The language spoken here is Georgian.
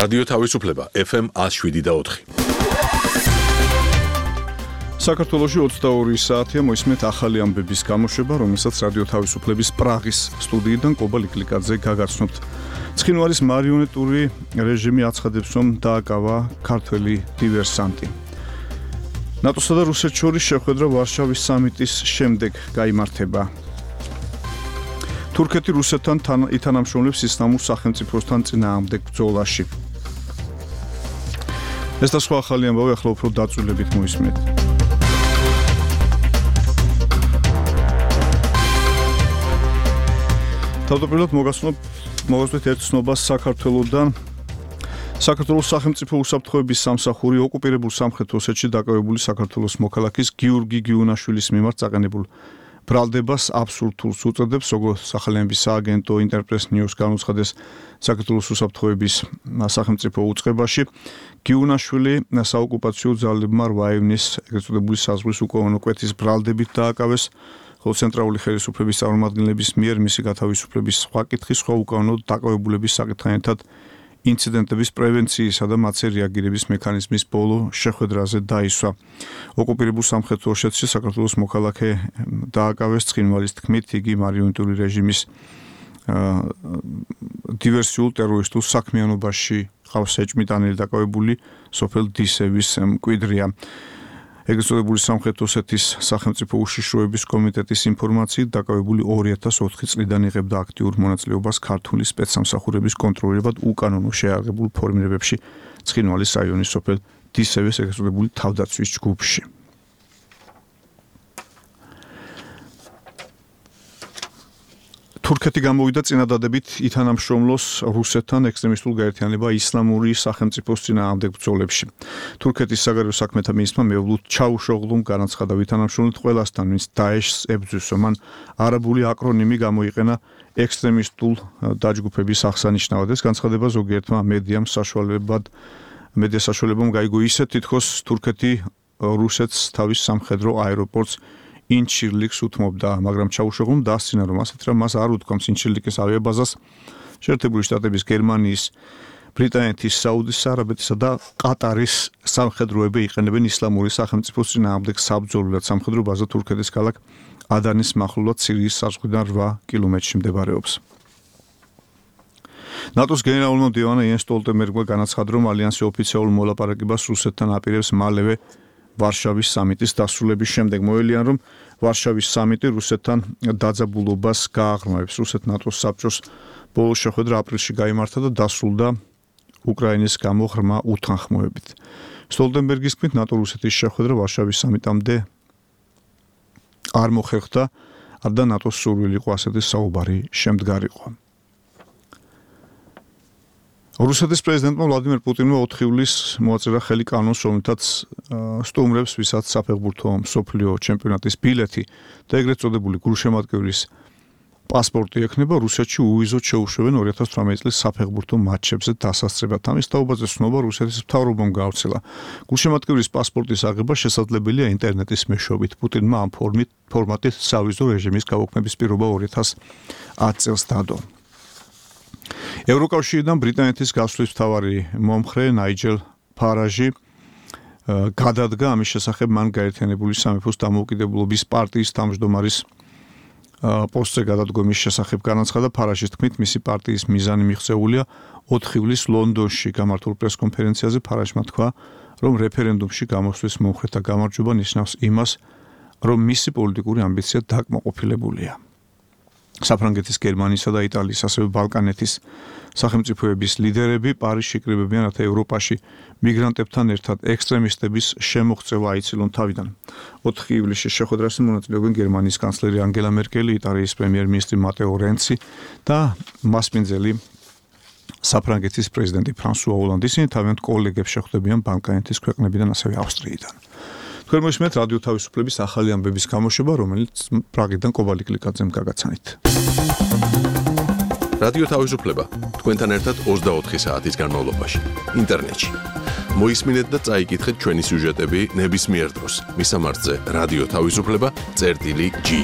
რადიო თავისუფლება FM 107.4. საქართველოში 22 საათია მოისმენთ ახალი ამბების გამოშვება, რომელსაც რადიო თავისუფლების პრაღის სტუდიიდან კობა ლიკლიკაძე გაგაცნობთ. ცხინვალის მარიონეტური რეჟიმი აცხადებს, რომ დააკავა ქართველი დივერსანტი. ნატოსა და რუსეთს შორის შეხვედრა ვარშავის სამიტის შემდეგ გაიმართება. თურქეთი რუსეთთან ითანამშრომლებს ისლამურ სახელმწიფოსთან წინააღმდეგ ბრძოლაში. ეს და სხვა ახალი ამბავი ახლა უფრო დაწვრილებით მოისმენთ. თავდაპირველად მოგასწრებით ერთ ცნობას საქართველოსდან. საქართველოს სახელმწიფო უსაფრთხოების სამსახური ოკუპირებულ სამხრეთ ოსეთში დაკავებული საქართველოს მოქალაქის გიორგი გიუნაშვილის მიმართ წაყენებულ ბრალდებას აბსურდულს უწოდებს, როგორც სახელმწიფო სააგენტო ინტერპრეს ნიუს განუცხადეს საქართველოს უსაფრთხოების სახელმწიფო უწყებაში. გიუნაშვილი საოკუპაციო ძალებმა 8 ივნის ეგრეთ წოდებული საზღვრის უკავონო კვეთის ბრალდებით დააკავეს, ხოლო ცენტრალური ხელისუფლების წარმომადგენლების მიერ მისი გათავისუფლების სხვა კითხვის სხვა უკავონო დაკავებულების საკითხთან ერთად ინციდენტების პრევენციისა და მათზე რეაგირების მექანიზმის ბოლო შეხვედრაზე დაისვა. ოკუპირებულ სამხრეთ ოსეთში საქართველოს მოქალაქე დააკავეს ცხინვალის თქმით, იგი მარიონეტული რეჟიმის დივერსიულ ტერორისტულ საქმიანობაში ყავს ეჭვმიტანილი დაკავებული სოფელ დისევის მკვიდრია. ეგრეთ წოდებული სამხრეთ ოსეთის სახელმწიფო უშიშროების კომიტეტის ინფორმაციით დაკავებული 2004 წლიდან იღებდა აქტიურ მონაწილეობას ქართული სპეცსამსახურების კონტროლირებად უკანონო შეიარაღებულ ფორმირებებში ცხინვალის რაიონის სოფელ დისევის ეგრეთ წოდებული თავდაცვის ჯგუფში. თურქეთი გამოვიდა წინადადებით ითანამშრომლოს რუსეთთან ექსტრემისტულ გაერთიანება ისლამური სახელმწიფოს წინააღმდეგ ბრძოლებში. თურქეთის საგარეო საქმეთა მინისტრმა მეუბნულ ჩაუშოღლუმ განაცხადა, ითანამშრომლეთ ყველასთან, ვინც დაეშს ებრძვის, მან არაბული აკრონიმი გამოიყენა ექსტრემისტულ დაჯგუფების აღსანიშნავად. ეს განცხადება ზოგიერთმა მედია საშუალებამ გაიგო ისე, თითქოს თურქეთი რუსეთს თავის სამხედრო აეროპორტს ინჩირლიკს უთმობდა, მაგრამ ჩაუშოღლუმ დასცინა, რომ ასეთ რამ მას არ უთქვამს ინჩირლიკის ავიაბაზას შეერთებული შტატების, გერმანიის, ბრიტანეთის, საუდის არაბეთისა და ყატარის სამხედროები იყენებენ ისლამური სახელმწიფოს წინააღმდეგ საბრძოლველად. სამხედრო ბაზა თურქეთის ქალაქ ადანის მახლობლად სირიის საზღვრიდან 8 კილომეტრში მდებარეობს. ნატოს გენერალურმა მდივანმა იენს სტოლტენბერგმა განაცხადა, რომ ალიანსი ოფიციალურ მოლაპარაკებას რუსეთთან აპირებს მალევე ვარშავის სამიტის დასრულების შემდეგ. მოელიან, რომ ვარშავის სამიტი რუსეთთან დაძაბულობას გააღრმავებს. რუსეთ-ნატოს საბჭოს ბოლო შეხვედრა აპრილში გაიმართა და დასრულდა უკრაინის გამო ღრმა უთანხმოებით. სტოლტენბერგის თქმით, ნატო-რუსეთის შეხვედრა ვარშავის სამიტამდე არ მოხერხდა, არდა ნატოს სურვილი იყო ასეთი საუბარი შემდგარიყო. რუსეთის პრეზიდენტმა ვლადიმერ პუტინმა 4 ივლისს მოაწერა ხელი კანონს, რომელთაც სტუმრებს, ვისაც საფეხბურთო მსოფლიო ჩემპიონატის ბილეთი და ეგრეთ წოდებული გულშემატკივრის პასპორტი ექნება, რუსეთში უვიზოდ შეუშვებენ 2018 წლის საფეხბურთო მატჩებზე დასასწრებად. ამის თაობაზე ცნობა რუსეთის მთავრობამ გავრცელა. გულშემატკივრის პასპორტის აღება შესაძლებელია ინტერნეტის მეშვეობით. პუტინმა ამ ფორმატით სავიზო რეჟიმის გაუქმების პირობა 2010 წელს დადო. ევროკავშირიდან ბრიტანეთის გასვლის მთავარი მომხრე ნაიჯელ ფარაჟი გადადგა ამის შესახებ მან გაერთიანებული სამეფოს დამოუკიდებლობის პარტიის თავმჯდომარის პოსტზე გადადგომის შესახებ განაცხადა. ფარაჟის თქმით, მისი პარტიის მიზანი მიღწეულია 4 ივლისს ლონდონში გამართულ პრესკონფერენციაზე. ფარაჟმა თქვა, რომ რეფერენდუმში გამოსვლის მომხრეთა გამარჯვება ნიშნავს იმას, რომ მისი პოლიტიკური ამბიცია დაკმაყოფილებულია. საფრანგეთის, გერმანიისა და იტალიის, ასევე ბალკანეთის სახელმწიფოების ლიდერები პარიზში იკრიბებიან, რათა ევროპაში მიგრანტებთან ერთად ექსტრემისტების შემოღწევა აიცილონ თავიდან. 4 ივლისში შეხვედრაში მონაწილეობენ გერმანიის კანცლერი ანგელა მერკელი, იტალიის პრემიერ-მინისტრი მატეო რენცი და მასპინძელი საფრანგეთის პრეზიდენტი ფრანსუა ოლანდი. ისინი თავიანთ კოლეგებს შეხვდებიან ბალკანეთის ქვეყნებიდან, ასევე ავსტრიიდან. თქვენ მოისმენთ რადიო თავისუფლების ახალი ამბების გამოშვება, რომელიც პრაღიდან კობა ლიკლიკაძემ გაგაცანით. რადიო თავისუფლება თქვენთან ერთად 24 საათის განმავლობაში ინტერნეტში. მოისმინეთ და წაიკითხეთ ჩვენი სიუჟეტები ნებისმიერ დროს. მისამართზე რადიო თავისუფლება.gi